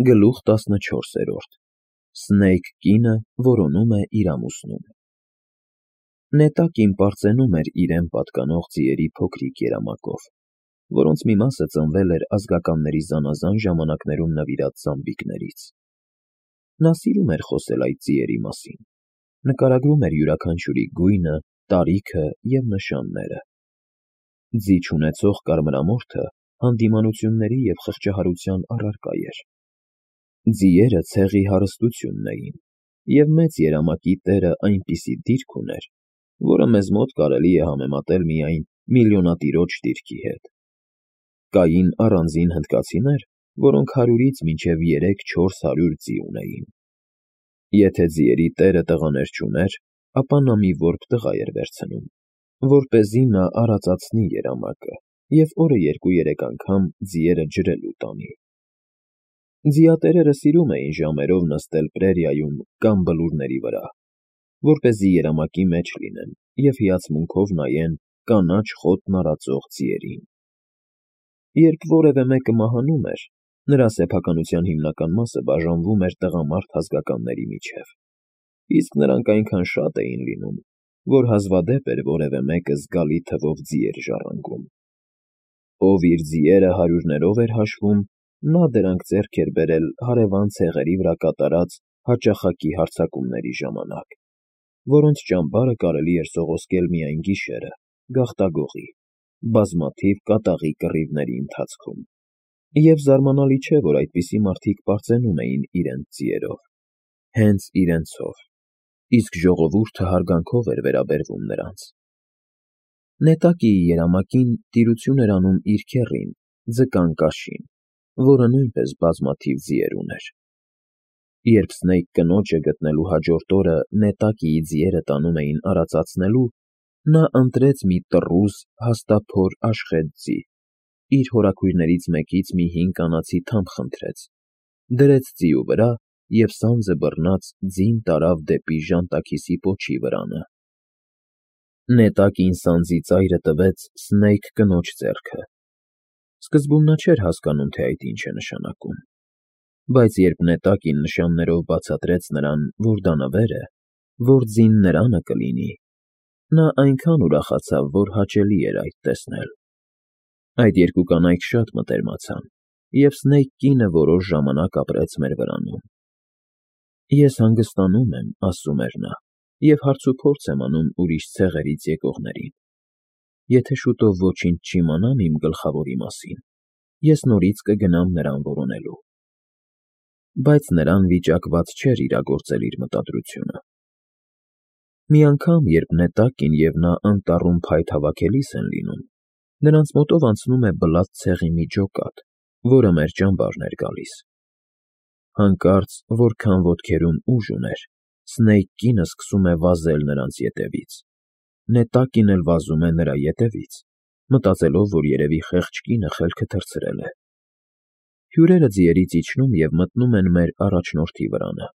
Գլուխ 14 Սնեյք կինը որոնում է իր ամուսնուն։ Նետակին պարծենում էր իրեն պատկանող ձիերի փոքրիկ երամակով, որոնց մի մասը ծնվել էր ազգականների զանազան ժամանակներում նվիրած զամբիկներից։ Նա սիրում էր խոսել այդ ձիերի մասին, նկարագրում էր յուրաքանչյուրի գույնը, տարիքը և նշանները։ Ձի չունեցող կարմրամորթը հանդիմանությունների և խղճահարության առարկա էր։ Ձիերը ցեղի հարստությունն էին, և մեծ երամակի տերը այնպիսի դիրք ուներ, որը մեզ մոտ կարելի է համեմատել միայն միլիոնատիրոջ դիրքի հետ։ Կային առանձին հնդկացիներ, որոնք 100-ից մինչև 300-400 ձի ունեին։ Եթե ձիերի տերը տղաներ չուներ, ապա նա մի որբ տղա էր վերցնում, որպեսզի նա արածացնի երամակը և օրը 2-3 անգամ ձիերը ջրելու տանի։ Ձիատերերը սիրում էին ժամերով նստել պրերիայում կամ բլուրների վրա, որպեսզի երամակի մեջ լինեն և հիացմունքով նայեն կանաչ խոտն արածող ձիերին։ Երբ որևէ մեկը մահանում էր, նրա սեփականության հիմնական մասը բաժանվում էր տղամարդ ազգականների միջև, իսկ նրանք այնքան շատ էին լինում, որ հազվադեպ էր որևէ մեկը զգալի թվով ձի էր ժառանգում։ Ով իր ձիերը 100-ներով էր հաշվում, նա դրանք ձեռք էր բերել հարևան ցեղերի վրա կատարած հաճախակի հարձակումների ժամանակ, որոնց ճամբարը կարելի էր սողոսկել միայն գիշերը, գաղտագողի, բազմաթիվ կատաղի կռիվների ընթացքում։ Եվ զարմանալի չէ, որ այդպիսի մարդիկ պարծենում էին իրենց ձիերով, հենց իրենցով, իսկ ժողովուրդը հարգանքով էր վերաբերվում նրանց։ Նետակիի երամակին տիրություն էր անում իր քեռին, Ձկան Կաշին, որը նույնպես բազմաթիվ ձիեր ուներ։ Երբ Սնեյք կնոջը գտնելու հաջորդ օրը Նետակիի ձիերը տանում էին արածացնելու, նա ընտրեց մի տռուզ, հաստափոր աշխետ ձի, իր հորաքույրներից մեկից մի հին կանացի թամփ խնդրեց, դրեց ձիու վրա և սանձը բռնած ձին տարավ դեպի ժանտաքիսի պոչի վրանը։ Նետակին սանձի ծայրը տվեց Սնեյք կնոջ ձեռքը։ Սկզբում նա չէր հասկանում, թե այդ ինչ է նշանակում, բայց երբ Նետակին նշաններով բացատրեց նրան, որ դա նվեր է, որ ձին նրանը կլինի, նա այնքան ուրախացավ, որ հաճելի էր այդ տեսնել։ Այդ երկու կանայք շատ մտերմացան, և Սնեյք կինը որոշ ժամանակ ապրեց մեր վրանում։ Ես հանգստանում եմ, ասում էր նա, և հարցուփորձ եմ անում ուրիշ ցեղերից եկողներին։ Եթե շուտով ոչինչ չիմանամ իմ գլխավորի մասին, ես նորից կգնամ նրան որոնելու։ Բայց նրան վիճակված չէր իրագործել իր մտադրությունը։ Մի անգամ, երբ Նետակին և նա անտառում փայտ հավաքելիս են լինում, նրանց մոտով անցնում է Բլաթ ցեղի մի ջոկատ, որը մեր ճամբարն էր գալիս։ Հանկարծ, որքան ոտքերում ուժ ուներ, Սնեյք կինը սկսում է վազել նրանց ետևից։ Նետակին էլ վազում է նրա ետևից, մտածելով, որ երևի խեղճ կինը խելքը թռցրել է։ Հյուրերը ձիերից իջնում և մտնում են մեր առաջնորդի վրանը։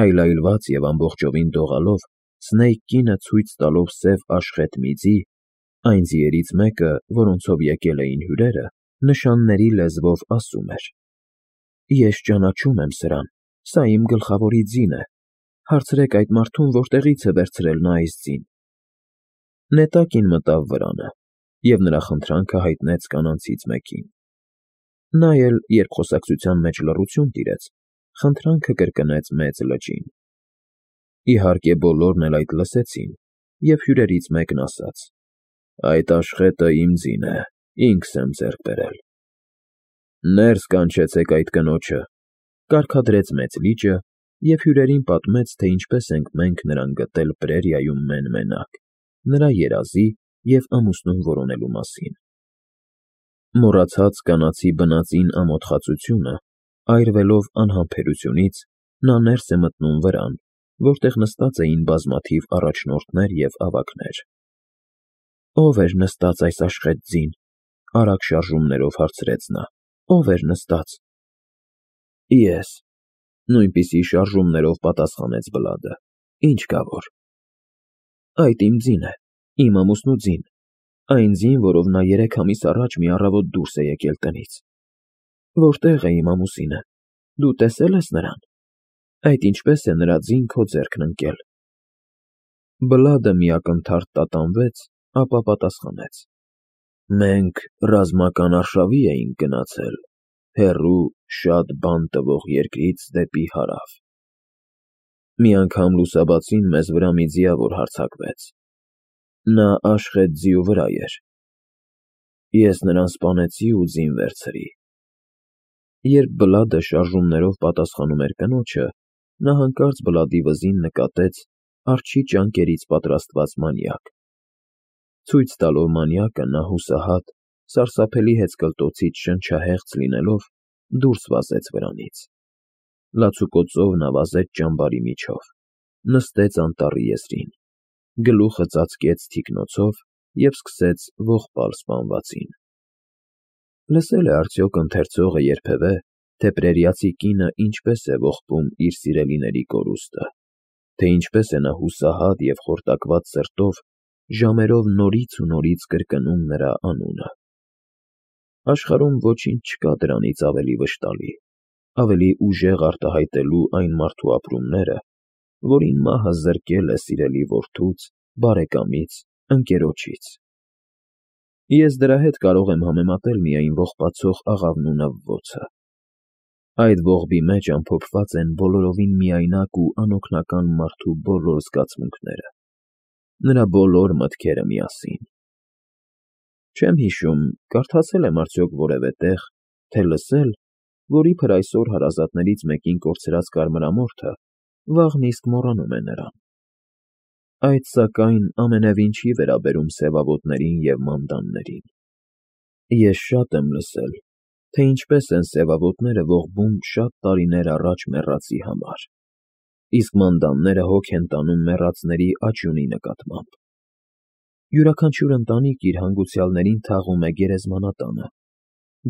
Այլայլված և ամբողջովին դողալով, Սնեյք կինը ցույց տալով սև աշխետ մի ձի, այն ձիերից մեկը, որոնցով եկել էին հյուրերը, նշանների լեզվով ասում էր. «Ես ճանաչում եմ սրան, սա իմ գլխավորի ձին է, հարցրեք այդ մարդուն, որտեղից է վերցրել նա այս ձին»։ Նետակին մտավ վրանը և նրա խնդրանքը հայտնեց կանանցից մեկին։ Նա էլ, երբ խոսակցության մեջ լռություն տիրեց, խնդրանքը կրկնեց մեծ լճին։ Իհարկե, բոլորն էլ այդ լսեցին, և հյուրերից մեկն ասաց. «Այդ աշխետը իմ ձին է, ինքս եմ ձեռք բերել»։ «Ներս կանչեցեք այդ կնոջը», կարգադրեց մեծ լիճը և հյուրերին պատմեց, թե ինչպես ենք մենք նրան գտել պրերիայում մեն֊մենակ, նրա երազի և ամուսնուն որոնելու մասին։ Մոռացած կանացի բնածին ամոթխածությունը, այրվելով անհամբերությունից, նա ներս է մտնում վրան, որտեղ նստած էին բազմաթիվ առաջնորդներ և ավագներ։ «Ո՞վ էր նստած այս աշխետ ձին», արագ շարժումներով հարցրեց նա։ «Ո՞վ էր նստած»։ «Ես», նույնպիսի շարժումներով պատասխանեց Բլադը։ «Ինչ կա որ»։ «Այդ իմ ձին է, իմ ամուսնու ձին, այն ձին, որով նա 3 ամիս առաջ մի առավոտ դուրս է եկել տնից»։ «Որտե՞ղ է իմ ամուսինը»։ Դու տեսել ես նրան։ Այդ ինչպես է նրա ձին քո ձեռքն ընկել։ Բլադը մի ակնթարթ տատանվեց, ապա պատասխանեց. Մենք ռազմական արշավի էինք գնացել, հեռու, շատ բան տվող երկրից դեպի հարավ։ Մի անգամ լուսաբացին մեզ վրա մի ձիավոր հարձակվեց։ Նա աշխետ ձիու վրա էր։ Ես նրան սպանեցի ու ձին վերցրի։ Երբ Բլադը շարժումներով պատասխանում էր կնոջը, նա հանկարծ Բլադի վզին նկատեց արջի ճանկերից պատրաստված մանյակ։ Ցույց տալով մանյակը, նա հուսահատ, սարսափելի հեծկլտոցից շնչահեղձ լինելով, դուրս վազեց վրանից։ Լացուկոծով նա վազեց ճամբարի միջով, նստեց անտառի եզրին, գլուխը ծածկեց թիկնոցով և սկսեց ողբալ սպանվածին։ Լսել է արդյոք ընթերցողը երբևէ, թե պրերիացի կինը ինչպես է ողբում իր սիրելիների կորուստը, թե ինչպես է նա հուսահատ և խորտակված սրտով ժամերով նորից ու նորից կրկնում նրա անունը։ Աշխարհում ոչինչ չկա դրանից ավելի վշտալի, ավելի ուժեղ արտահայտելու այն մարդու ապրումները, որին մահը զրկել է սիրելի որդուց, բարեկամից, ընկերոջից։ Ես դրա հետ կարող եմ համեմատել միայն ողբացող աղավն ու նվվոցը։ Այդ ողբի մեջ ամփոփված են բոլորովին միայնակ ու անօգնական մարդու բոլոր զգացմունքները, նրա բոլոր մտքերը միասին։ Չեմ հիշում, կարդացել եմ արդյոք որևէ տեղ, թե լսել, որ իբր այսօր հարազատներից մեկին կորցրած կարմրամորթը վաղն իսկ մոռանում է նրան։ Այդ, սակայն, ամենևին չի վերաբերում սևավոտներին և մանդաններին։ Ես շատ եմ լսել, թե ինչպես են սևավոտները ողբում շատ տարիներ առաջ մեռածի համար, իսկ մանդանները հոգ են տանում մեռածների աճյունի նկատմամբ։ Յուրաքանչյուր ընտանիք իր հանգուցյալներին թաղում է գերեզմանատանը,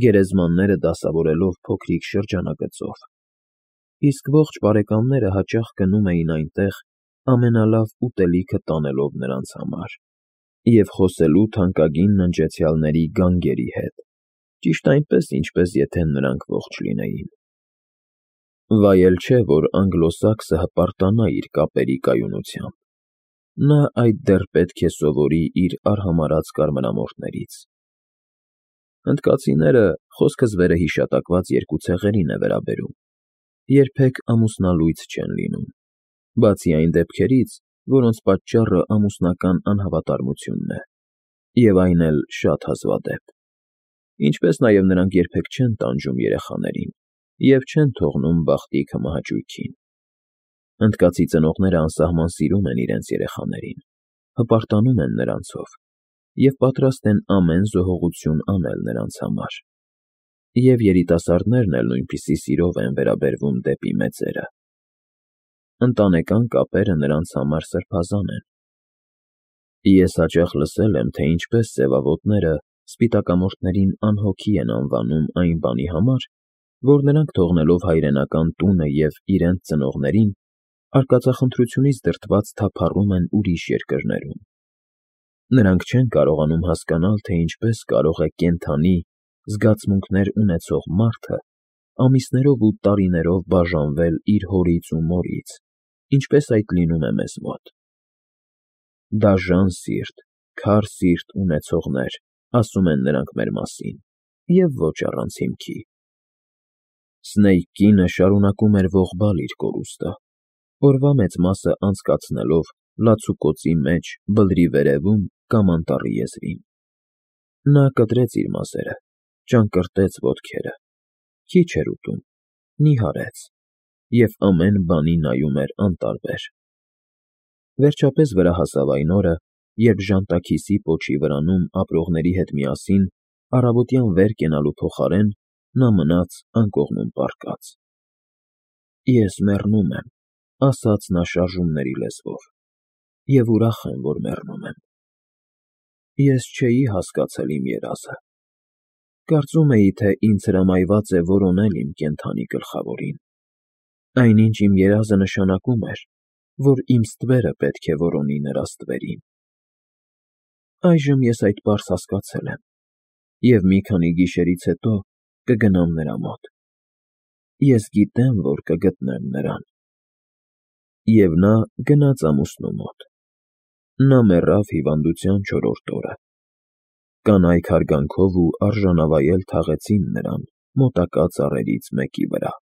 գերեզմանները դասավորելով փոքրիկ շրջանագծով, իսկ ողջ բարեկամները հաճախ գնում էին այնտեղ ամենալավ ուտելիքը տանելով նրանց համար և խոսելու թանկագին ննջեցյալների գանգերի հետ, ճիշտ այնպես, ինչպես եթե նրանք ողջ լինեին։ Վայել չէ, որ անգլոսաքսը հպարտանա իր կապերի կայունությամբ։ Նա այդ դեռ պետք է սովորի իր արհամարհած կարմրամորթներից։ Հնդկացիները, խոսքս վերը հիշատակված երկու ցեղերին է վերաբերում, երբեք ամուսնալույծ չեն լինում, բացի այն դեպքերից, որոնց պատճառը ամուսնական անհավատարմությունն է, և այն էլ շատ հազվադեպ, ինչպես նաև նրանք երբեք չեն տանջում երեխաներին և չեն թողնում բախտի քմահաճույքին։ Հնդկացի ծնողները անսահման սիրում են իրենց երեխաներին, հպարտանում են նրանցով և պատրաստ են ամեն զոհողություն անել նրանց համար, և երիտասարդներն էլ նույնպիսի սիրով են վերաբերվում դեպի մեծերը։ Ընտանեկան կապերը նրանց համար սրբազան են։ Ես հաճախ լսել եմ, թե ինչպես սևավոտները սպիտակամորթներին անհոգի են անվանում այն բանի համար, որ նրանք թողնելով հայրենական տունը և իրենց ծնողներին, արկածախնդրությունից դրդված թափառում են ուրիշ երկրներում։ Նրանք չեն կարողանում հասկանալ, թե ինչպես կարող է կենդանի, զգացմունքներ ունեցող մարդը ամիսներով ու տարիներով բաժանվել իր հորից ու մորից, ինչպես այդ լինում է մեզ մոտ։ «Դաժան սիրտ, քար սիրտ ունեցողներ», ասում են նրանք մեր մասին, և ոչ առանց հիմքի։ Սնեյք կինը շարունակում էր ողբալ իր կորուստը, օրվա մեծ մասը անցկացնելով լացուկոցի մեջ բլրի վերևում կամ անտառի եզրին։ Նա կտրեց իր մազերը, ճանկռտեց ոտքերը, քիչ էր ուտում, նիհարեց և ամեն բանի նայում էր անտարբեր։ Վերջապես վրա հասավ այն օրը, երբ ժանտաքիսի պոչի վրանում ապրողների հետ միասին առավոտյան վեր կենալու փոխարեն նա մնաց անկողնում պառկած։ «Ես մեռնում եմ», ասաց նա շարժումների լեզվով, «և ուրախ եմ, որ մեռնում եմ։ Ես չէի հասկացել իմ երազը։ Կարծում էի, թե ինձ հրամայված է որոնել իմ կենդանի գլխավորին։ Այնինչ իմ երազը նշանակում էր, որ իմ ստվերը պետք է որոնի նրա ստվերին։ Այժմ ես այդ պարզ հասկացել եմ և մի քանի գիշերից հետո կգնամ նրա մոտ։ ես գիտեմ, որ կգտնեմ նրան։ Եվ նա գնաց ամուսնու մոտ։ Նա մեռավ հիվանդության 4-րդ օրը։ Կանայք հարգանքով ու արժանավայել թաղեցին նրան մոտակա ծառերից մեկի վրա։